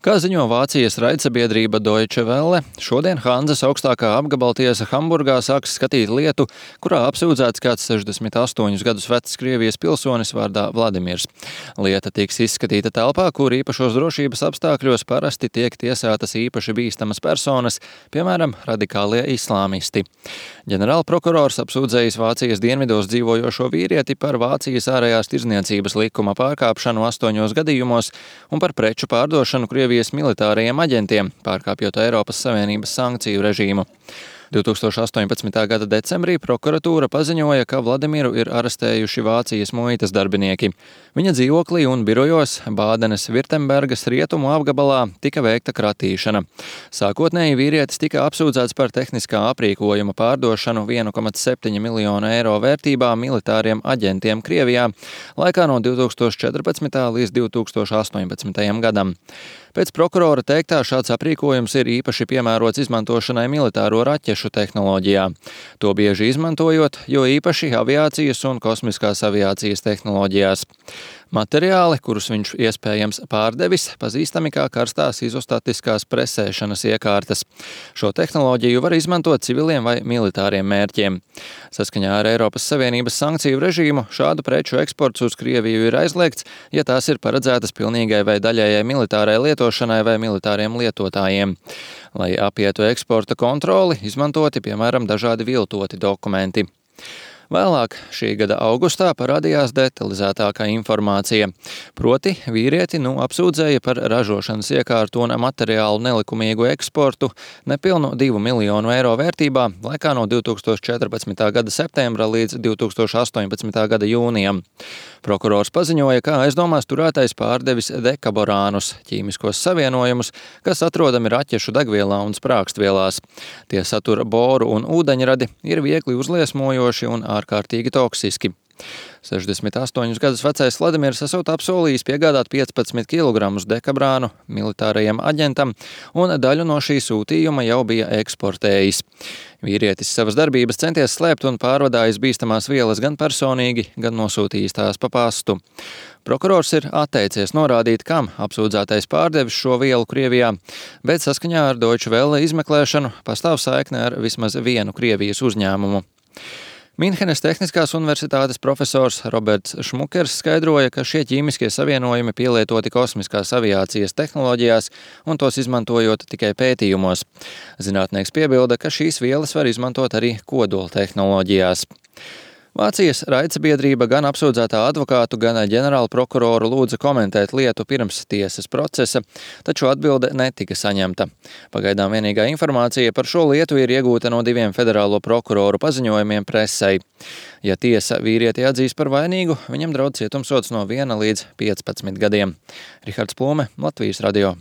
Kā ziņo Vācijas raidsabiedrība Deutsche Welle, šodien Hanzas augstākā apgabaltiesa Hamburgā sāks skatīt lietu, kurā apsūdzēts kāds 68 gadus vecs Krievijas pilsonis vārdā Vladimirs. Lieta tiks izskatīta telpā, kur īpašos drošības apstākļos parasti tiek tiesātas īpaši bīstamas personas, piemēram, radikālie islāmisti. Ģenerālprokurors apsūdzējis Vācijas dienvidos dzīvojošo vīrieti par Vācijas ārējās tirdzniecības likuma pārkāpšanu 8 gadījumos un par preču pārdošanu Krievijas militārajiem aģentiem, pārkāpjot Eiropas Savienības sankciju režīmu. 2018. gada decembrī prokuratūra paziņoja, ka Vladimiru ir arestējuši Vācijas muitas darbinieki. Viņa dzīvoklī un birojos Bādenes Virtembergas rietumu apgabalā tika veikta kratīšana. Sākotnēji vīrietis tika apsūdzēts par tehniskā aprīkojuma pārdošanu 1,7 miljonu eiro vērtībā militāriem aģentiem Krievijā laikā no 2014. līdz 2018. gadam. Pēc prokurora teiktā šāds aprīkojums ir īpaši piemērots izmantošanai militāro raķešu tehnoloģijā. To bieži izmantojot, jo īpaši aviācijas un kosmiskās aviācijas tehnoloģijās. Materiāli, kurus viņš iespējams pārdevis, pazīstami kā karstās izostatiskās presēšanas iekārtas. Šo tehnoloģiju var izmantot civiliem vai militāriem mērķiem. Saskaņā ar Eiropas Savienības sankciju režīmu šādu preču eksports uz Krieviju ir aizliegts, ja tās ir paredzētas pilnīgai vai daļējai militārai lietošanai vai militāriem lietotājiem. Lai apietu eksporta kontroli, izmantoti, piemēram, dažādi viltoti dokumenti. Vēlāk šī gada augustā parādījās detalizētākā informācija. Proti, vīrieti apsūdzēja par ražošanas iekārtu un materiālu nelikumīgu eksportu nepilnu 2 miljonu eiro vērtībā laikā no 2014. gada septembra līdz 2018. gada jūnijam. Prokurors paziņoja, ka aizdomās turētais pārdevis dekaborānus, ķīmiskos savienojumus, kas atrodami raķešu degvielā un sprākstvielās. Tie satura boru un ūdeņradi, ir viegli uzliesmojoši un ārkārtīgi toksiski. 68 gadus vecais Vladimirs esot apsolījis piegādāt 15 kg dekabrānu militārajam aģentam, un daļu no šī sūtījuma jau bija eksportējis. Vīrietis savas darbības centies slēpt un pārvadājis bīstamās vielas gan personīgi, gan nosūtījis tās pa pastu. Prokurors ir atteicies norādīt, kam apsūdzētais pārdevis šo vielu Krievijā, bet saskaņā ar Deutsche Welle izmeklēšanu pastāv saikne ar vismaz vienu Krievijas uzņēmumu. Minhenes Tehniskās universitātes profesors Roberts Šmukers skaidroja, ka šie ķīmiskie savienojumi pielietoti kosmiskās aviācijas tehnoloģijās un tos izmantojot tikai pētījumos. Zinātnieks piebilda, ka šīs vielas var izmantot arī kodola tehnoloģijās. Vācijas raidsabiedrība gan apsūdzētā advokātu, gan ģenerālprokuroru lūdza komentēt lietu pirms tiesas procesa, taču atbilde netika saņemta. Pagaidām vienīgā informācija par šo lietu ir iegūta no 2 federālo prokuroru paziņojumiem presei. Ja tiesa vīrieti atzīs par vainīgu, viņam draud cietumsods no 1 līdz 15 gadiem. Rihards Plūme, Latvijas radio.